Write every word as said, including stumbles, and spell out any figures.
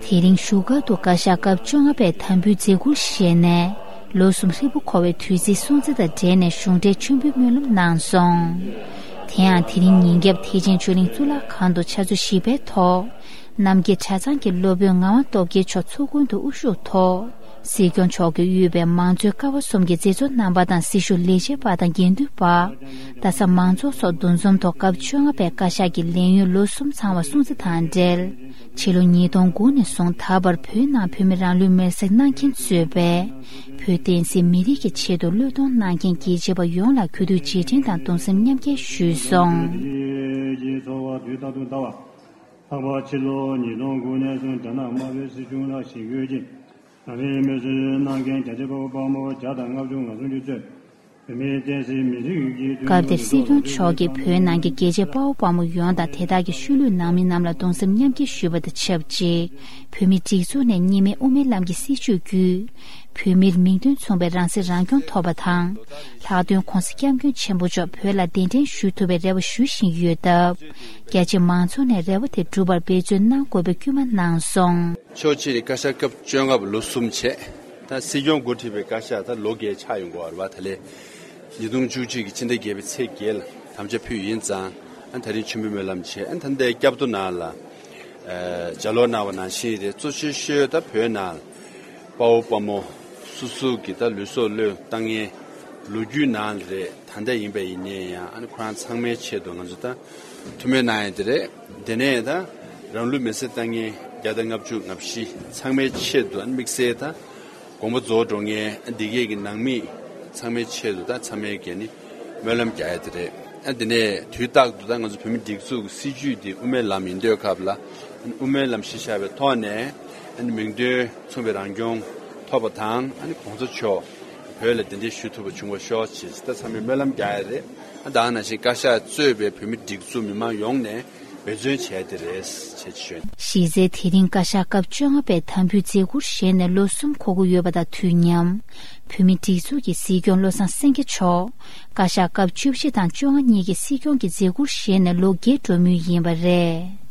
དེ་རིང་བཞུགས་སྒར་དུ་བཀའ་ཤག་སྐབས་བཅོ་ལྔ་པས་དམ་འབུལ་མཛད་ཁུར་བཞེས་ནས་ལོ་གསུམ་ཧྲིལ་པོ་འཁོར་བའི་དུས་ཚིགས་སྲུང་བརྩི་དང་འབྲེལ་ནས་གཞུང་འབྲེལ་མཆོད་འབུལ་སྨོན་ལམ་གནང་སོང་། དེ་ཡང་དེ་རིང་ཉིན་རྒྱབ་ཐེག་ཆེན་ཆོས་གླིང་གཙུག་ལག་ཁང་དུ་ཕྱག་ཚོད་བཞི་པའི་ཐོག་རྣམ་རྒྱལ་གྲྭ་ཚང་གི་སློབ་དཔོན་ངག་དབང་སྟོབས་རྒྱལ་མཆོག་ཚོགས་མགོན་དུ་དབུ་བཞུགས་ཐོག་སྲིད་སྐྱོང་མཆོག་གིས་དབུས་པའི་མང་གཙོའི་ཀ་བ་གསུམ་གྱི་མཛད་གཙོ་རྣམ་པ་དང་སྲི་ཞུ་ལས་བྱེད་པ་དང་དགེ་འདུན་པ། རྡ་ས་མང་ཚོགས་སོགས་འདུ་འཛོམས་ཐོག་སྐབས་བཅོ་ལྔ་པའི་བཀའ་ཤག་གི་ལས་ཡུན་ལོ་གསུམ་ཚང་བ་སྲུང་བརྩི་དང་འབྲེལ། ཕྱི་ལོ་ཉིས་སྟོང་དགུ་ནས་བཟུང་ད་བར་བོད་ནང་བོད་མི་རང་ལུས་མེར་སྲེག་གནང་མཁན་གཙོས་པའི་བོད་བསྟན་སྲིད་མི་རིགས་ཀྱི་ཆེད་དུ་བློས་གཏོང་གནང་མཁན་རྒྱལ་གཅེས་པ་ཡོངས་ལ་གུས་འདུད་རྗེས་དྲན་དང་གདུང་སེམས་མཉམ་སྐྱེད་ཞུས་སོང་། ལྷག་པར་ཕྱི་ལོ་ཉིས་སྟོང་དགུ་ནས་བཟུང་རྒྱ་ནག་དམར་པོའི་སྲིད་གཞུང་ལ་ཞི་རྒོལ་གྱིས་རང་ལུས་མེར་སྲེག་གནང་མཁན་རྒྱལ་གཅེས་དཔའ་བོ་དཔའ་མོ་བརྒྱ་དང་ལྔ་བཅུ་ང་གསུམ་ཅིག་གཙོས་བོད་མིའི་བསྟན་སྲིད་མི་རིགས་ཀྱི་སྐབས་དེར་སྲིད་སྐྱོང་མཆོག་གིས་བོད་ནང་གི་རྒྱལ་གཅེས་དཔའ་བོ་དཔའ་མོ་ཡོངས་དང་དེ་དག་གི་ཤུལ་ལུས་ནང་མི་རྣམས་ལ་གདུང་སེམས་མཉམ་སྐྱེད་ཞུས་པ་དང་ཆབས་ཅིག་བོད་མིའི་སྒྲིག་འཛུགས་ནས་གཉིས་སྨན་དབུ་མའི་ལམ་གྱི་སྲིད་བྱུས་བརྒྱུད། བོད་མིར་མིང་དོན་མཚུངས་པའི་རང་སྲིད་རང་སྐྱོང་ཐོབ་པ་དང་། ལྷག་དོན་༸གོང་ས་༸སྐྱབས་མགོན་ཆེན་པོ་མཆོག་བོད་ལ་གདན་འདྲེན་ཞུ་ཐུབ་པའི་རེ་བ་ཞུ་བཞིན་ཡོད་སྟབས། རྒྱ་ཆེ་མང་ཚོགས་ནས་རེ་བ་དེ་འགྲུབ་པར་འབད་བརྩོན་གནང་དགོས་པའི་སྐུལ་མ་གནང་སོང་། ཕྱོགས་གཅིག་ནས་བཀའ་ཤག་སྐབས་བཅོ་ལྔ་པ་ལོ་གསུམ་བྱས། ད་སྲིད་སྐྱོང་འགོ་ཁྲིད་པའི་བཀའ་ཤག་ད་ལོ་བརྒྱད་ཆགས་ཡོང་གི་ཡོད་རེད་པ། ད་ལན་ཉིས་སྟོང་བཅུ་གཅིག་གི་ཕྱི་ཟླ་བརྒྱད་པའི་ཚེས་བརྒྱད་ལ་དམ་བཅའ་ཕུལ་ཡིན་ཙང་། ཨ་ད་རིང་མཆོད་འབུལ་སྨོན་ལམ་བྱས། ཨ་ད་ལྟའི་བསྐྱར་ཟློས་ནང་ལ་ཨ་ལྗགས་ཀློག་གནང་བ་ནང་བཞིན་རེད། གཙོ་ཆེ་ཤོས་ད་བོད་ནང་དཔའ་བོ་དཔའ་མོ་སོ་སོ་གི་ད་ལུས་སྲོག་བློས་བཏང་མཁན་ལོ་རྒྱུས་ནང་ལ་རེད། ད་ལྟ་ཡིན་པ་ཡིན་ནའི་ཡང་ཨ་ནི་ཁོ་རང་ཚང་མའི་ཆེད་དུ་ང་ཚོ་ད་ཐུགས་སྨོན་གནང་ཡ་དེ་རེད། དེ་ནས་ད་རང་ལུས་མེར་སྲེག་བཏང་མཁན་བརྒྱ་དང་ལྔ་བཅུ་ང་བཞི་ཚང་མའི་ཆེད་དུ་ཨ་ནི་དམིགས་བསལ་ད་དགོངས་པ་རྫོགས་འགྲོ་མཁན་ཨ་འདི་གས་ཀྱི་ནང་མི་ཚང་མའི་ཆེད་དུ་ད་ཚང་མས་གས་ནི་སྨོན་ལམ་རྒྱག་ཡ་དེ་རེད། ཨ་དེ་ནས་དུས་རྟག་ཏུ་ད་ང་ཚོ་བོད་མི་སྒྲིག་འཛུགས་ཀྱི་སྲིད་བྱུས་འདི་དབུ་མའི་ལམ་ཡིན་དུས་སྐབས་ལ་ཨ་ནི་དབུ་མའི་ལམ་གཞི་བཞག་པའི་ཐོག་ནས་ཨ་ནི་མིང་དོན་མཚུངས་པའི་རང་སྐྱོང་ཐོབ་པ་དང་། ཨ་ནི་གོང་ས་མཆོག་བོད་ལ་གདན་འདྲེན་ཞུ་ཐུབ་པ་བྱུང་བ་ཤོག་ཅེས་ད་ཚང་མས་སྨོན་ལམ་རྒྱག་ཡ་རེད། ཨ་ད་ག་ནང་བཞིན་བཀའ་ཤག་གཙོས་པའི་བོད་མི་སྒྲིག་འཛུགས་མི་མང་ཡོངས་ནས་འབད་བརྩོན་བྱས་ཏེ་རེད་ཅེས་ཞུས། གཞི་རྩའི་དེ་རིང་བཀའ་ཤག་སྐབས་བཅོ་ལྔ་པས་དམ་འབུལ་མཛད་ཁུར་བཞེས་ནས་ལོ་གསུམ་འཁོར་གྱི་ཡོད་པ་དང་དུས་མཉམ། བོད་མིའི་སྒྲིག་འཛུགས་ཀྱི་སྲིད་སྐྱོང་བློ་བཟང་སེང་གེ་མཆོག་བཀའ་ཤག་སྐབས་བཅུ་བཞི་དང་བཅོ་ལྔ་གཉིས་ཀྱི་སྲིད་སྐྱོང་གི་མཛད་ཁུར་བཞེས་ནས་ལོ་བརྒྱད་འགྲོ་མུས་ཡིན་པ་རེད།